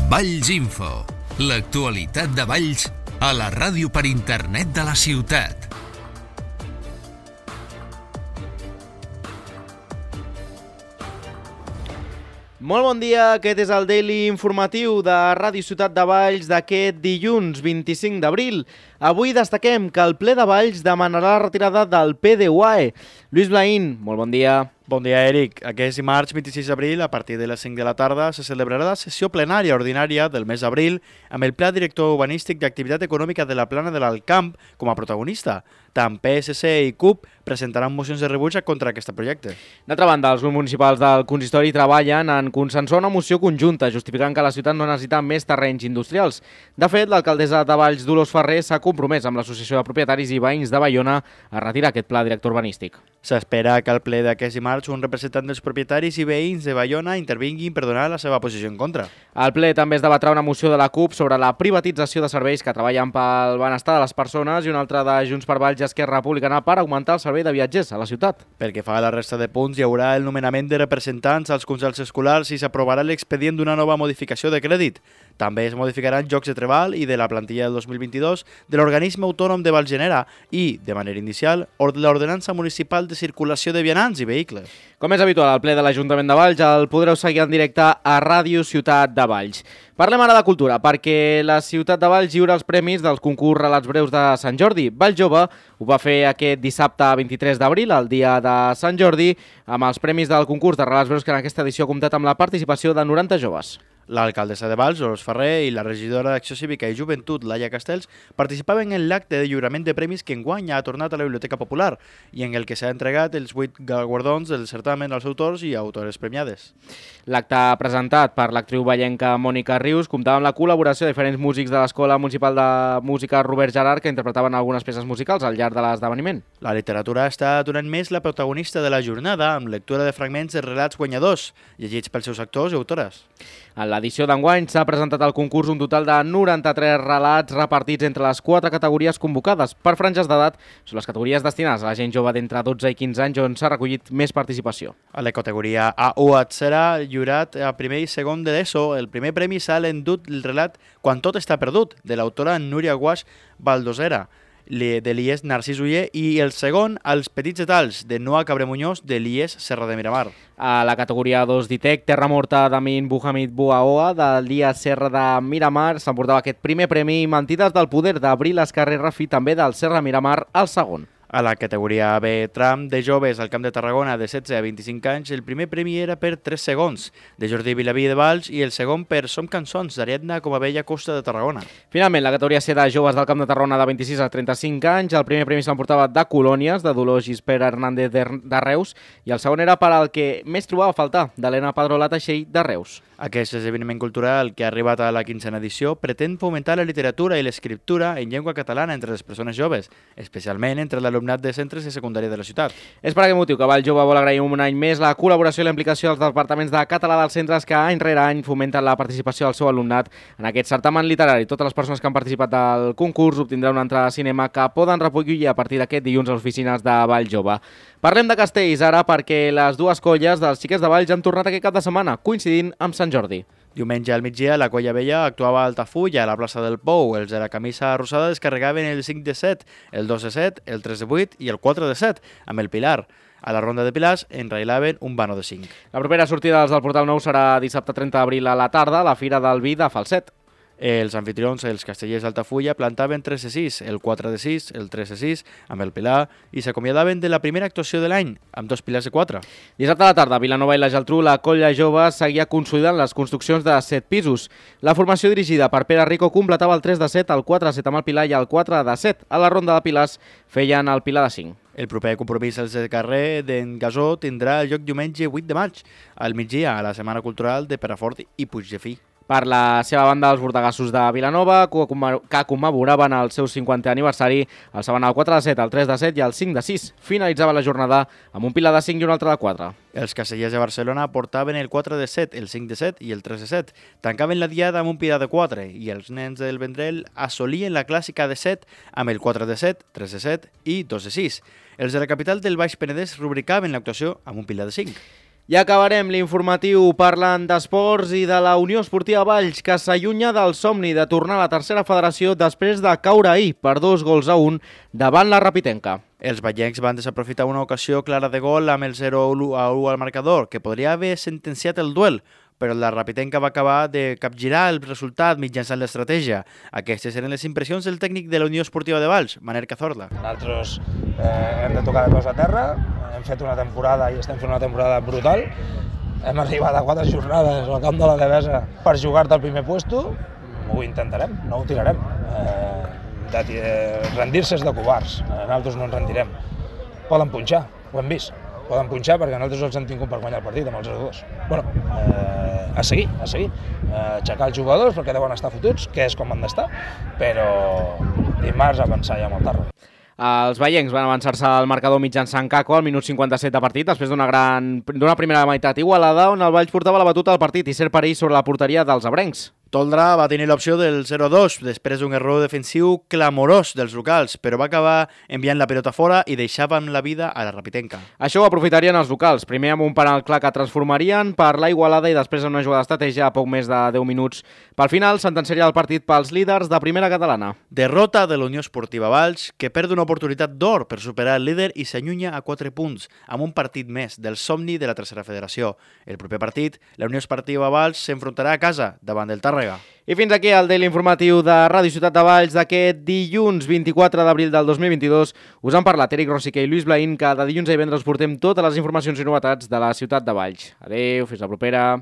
Valls Info, l'actualitat de Valls a la ràdio per internet de la ciutat. Molt bon dia, aquest és el Daily Informatiu de Ràdio Ciutat de Valls d'aquest dilluns 25 d'abril. Avui destaquem que el ple de Valls demanarà la retirada del PDUAE. Lluís Blaín, molt bon dia. Bon dia, Eric. Aquest dimarts 26 d'abril, a partir de les 5 de la tarda, se celebrarà la sessió plenària ordinària del mes d'abril amb el Pla Director Urbanístic d'Activitat Econòmica de la Plana de l'Alcamp com a protagonista. Tant PSC i CUP presentaran mocions de rebuig contra aquest projecte. D'altra banda, els grups municipals del consistori treballen en consensuar una moció conjunta, justificant que la ciutat no necessita més terrenys industrials. De fet, l'alcaldessa de Valls, Dolors Ferrer, s'ha compromès amb l'Associació de Propietaris i Veïns de Baiona a retirar aquest pla director urbanístic. S'espera que al ple d'aquest dimarts un representant dels propietaris i veïns de Baiona intervinguin per donar la seva posició en contra. Al ple també es debatrà una moció de la CUP sobre la privatització de serveis que treballen pel benestar de les persones i una altra de Junts per Valls i Esquerra Republicana per augmentar el servei de viatgers a la ciutat. Pel que fa a la resta de punts, hi haurà el nomenament de representants als consells escolars i s'aprovarà l'expedient d'una nova modificació de crèdit. També es modificaran llocs de treball i de la plantilla del 2022 de l'organisme autònom de Valgenera i, de manera inicial, l'ordenança municipal de circulació de vianants i vehicles. Com és habitual al ple de l'Ajuntament de Valls, el podreu seguir en directe a Ràdio Ciutat de Valls. Parlem ara de cultura, perquè la ciutat de Valls lliura els premis dels concurs Relats Breus de Sant Jordi. Valls Jove ho va fer aquest dissabte 23 d'abril, el dia de Sant Jordi, amb els premis del concurs de Relats Breus que en aquesta edició ha comptat amb la participació de 90 joves. L'alcaldessa de Valls, Dolors Ferrer, i la regidora d'Acció Cívica i Joventut, Laia Castells, participaven en l'acte de lliurament de premis que enguany ha tornat a la Biblioteca Popular i en el que s'ha entregat els 8 guardons del certamen als autors i autores premiades. L'acte presentat per l'actriu vallenca Mònica Rius comptava amb la col·laboració de diferents músics de l'Escola Municipal de Música Robert Gerard que interpretaven algunes peces musicals al llarg de l'esdeveniment. La literatura ha estat durant més la protagonista de la jornada amb lectura de fragments de relats guanyadors, llegits pels seus actors i autores. En l'edició d'enguany s'ha presentat al concurs un total de 93 relats repartits entre les 4 categories convocades. Per franges d'edat són les categories destinades a la gent jove d'entre 12 i 15 anys on s'ha recollit més participació. A la categoria A1 serà lliurat a primer i segon de l'ESO. El primer premi s'ha endut el relat Quan tot està perdut, de l'autora Núria Guaix Baldosera, de l'IES Narcís Uller, i el segon, Els petits detalls, de Noa Cabremuñoz, de l'IES Serra de Miramar. A la categoria 2 d'ITEC, Terra Morta d'Amin Buhamid Bouaoa, de l'IES Serra de Miramar, s'emportava aquest primer premi, i Mentides del poder d'Abril Escarrer Rafi, també del Serra Miramar, el segon. A la categoria B tram de joves al Camp de Tarragona de 16 a 25 anys, el primer premi era per 3 segons, de Jordi Vilaví de Valls, i el segon per Som cançons, d'Ariadna com a Bella Costa de Tarragona. Finalment, la categoria C de joves del Camp de Tarragona de 26 a 35 anys, el primer premi s'emportava de Colònies, de Dolors Gispera Hernández de Reus, i el segon era per al que més trobava a faltar, d'Helena Padrola Teixell de Reus. Aquest esdeveniment cultural, que ha arribat a la 15a edició, pretén fomentar la literatura i l'escriptura en llengua catalana entre les persones joves, especialment entre l'alumnat de centres de secundària de la ciutat. És per aquest motiu que Valls Jove vol agrair un any més la col·laboració i la implicació dels departaments de català dels centres que any rere any fomenten la participació del seu alumnat en aquest certamen literari. Totes les persones que han participat del concurs obtindran una entrada de cinema que poden recollir a partir d'aquest dilluns a les oficines de Valls Jove. Parlem de castells ara perquè les dues colles dels xiquets de Valls han tornat aquest cap de setmana, coincidint amb Sant Jordi. Diumenge al migdia, la Colla Vella actuava a Altafulla, a la plaça del Pou. Els de la camisa rosada descarregaven el 5 de 7, el 2 de 7, el 3 de 8 i el 4 de 7, amb el Pilar. A la ronda de Pilars enrailaven un vano de 5. La propera sortida dels del Portal Nou serà dissabte 30 d'abril a la tarda, a la Fira del Vi de Falset. Els anfitrions, els castellers d'Altafulla, plantaven 3 de 6, el 4 de 6, el 3 de 6, amb el Pilar, i s'acomiadaven de la primera actuació de l'any, amb 2 pilars de 4. Dissabte a la tarda, a Vilanova i la Geltrú, la Colla Jove seguia consolidant les construccions de 7 pisos. La formació dirigida per Pere Rico completava el 3 de 7, el 4 de 7 amb el Pilar i el 4 de 7. A la ronda de pilars feien el Pilar de 5. El proper compromís als de carrer d'en Gasó tindrà lloc diumenge 8 de maig, al migdia, a la Setmana Cultural de Perafort i Puigdefí. Per la seva banda, els bordegassos de Vilanova, que commemoraven el seu 50è aniversari, alçaven el 4 de 7, el 3 de 7 i el 5 de 6. Finalitzava la jornada amb un Pilar de 5 i un altre de 4. Els castellers de Barcelona portaven el 4 de 7, el 5 de 7 i el 3 de 7. Tancaven la diada amb un Pilar de 4 i els nens del Vendrell assolien la clàssica de 7 amb el 4 de 7, 3 de 7 i 2 de 6. Els de la capital del Baix Penedès rubricaven l'actuació amb un Pilar de 5. I acabarem l'informatiu parlant d'esports i de la Unió Esportiva Valls, que s'allunya del somni de tornar a la tercera federació després de caure ahir per 2-1 davant la Rapitenca. Els vallencs van desaprofitar una ocasió clara de gol amb el 0-1 al marcador, que podria haver sentenciat el duel, però la Rapitenca va acabar de capgirar el resultat mitjançant l'estratègia. Aquestes eren les impressions del tècnic de la Unió Esportiva de Valls, Manel Cazorla. Nosaltres hem de tocar de peus a terra, hem fet una temporada i estem fent una temporada brutal. Hem arribat a 4 jornades al camp de la Devesa per jugar-te al primer puesto. Ho intentarem, no ho tirarem. Rendir-se és de covards, nosaltres no ens rendirem. Poden punxar, ho hem vist. Poden punxar perquè nosaltres els hem tingut per guanyar el partit amb els 0-2. A seguir. Aixecar els jugadors perquè deuen estar fotuts, que és com han d'estar, però dimarts avançar ja amb el Tàrrega. Els vallencs van avançar-se al marcador mitjançant Caco al minut 57 de partit, després d'una primera meitat igualada on el Valls portava la batuta al partit i cert perill sobre la porteria dels abrencs. Toldrà va tenir l'opció del 0-2 després d'un error defensiu clamorós dels locals, però va acabar enviant la pilota fora i deixava amb la vida a la Rapitenca. Això ho aprofitarien els locals, primer amb un penal clar que transformarien per la igualada i després en una jugada d'estratègia a poc més de 10 minuts. Pel final, sentenciaria el partit pels líders de primera catalana. Derrota de la Unió Esportiva Valls, que perd una oportunitat d'or per superar el líder i s'allunya a 4 punts, amb un partit més del somni de la tercera federació. El proper partit, la Unió Esportiva Valls s'enfrontarà a casa davant del Tàrrega. I fins aquí el daily informatiu de Ràdio Ciutat de Valls d'aquest dilluns 24 d'abril del 2022. Us han parlat Eric Rosique i Lluís Blaín, que de dilluns a divendres portem totes les informacions i novetats de la Ciutat de Valls. Adéu, fins la propera.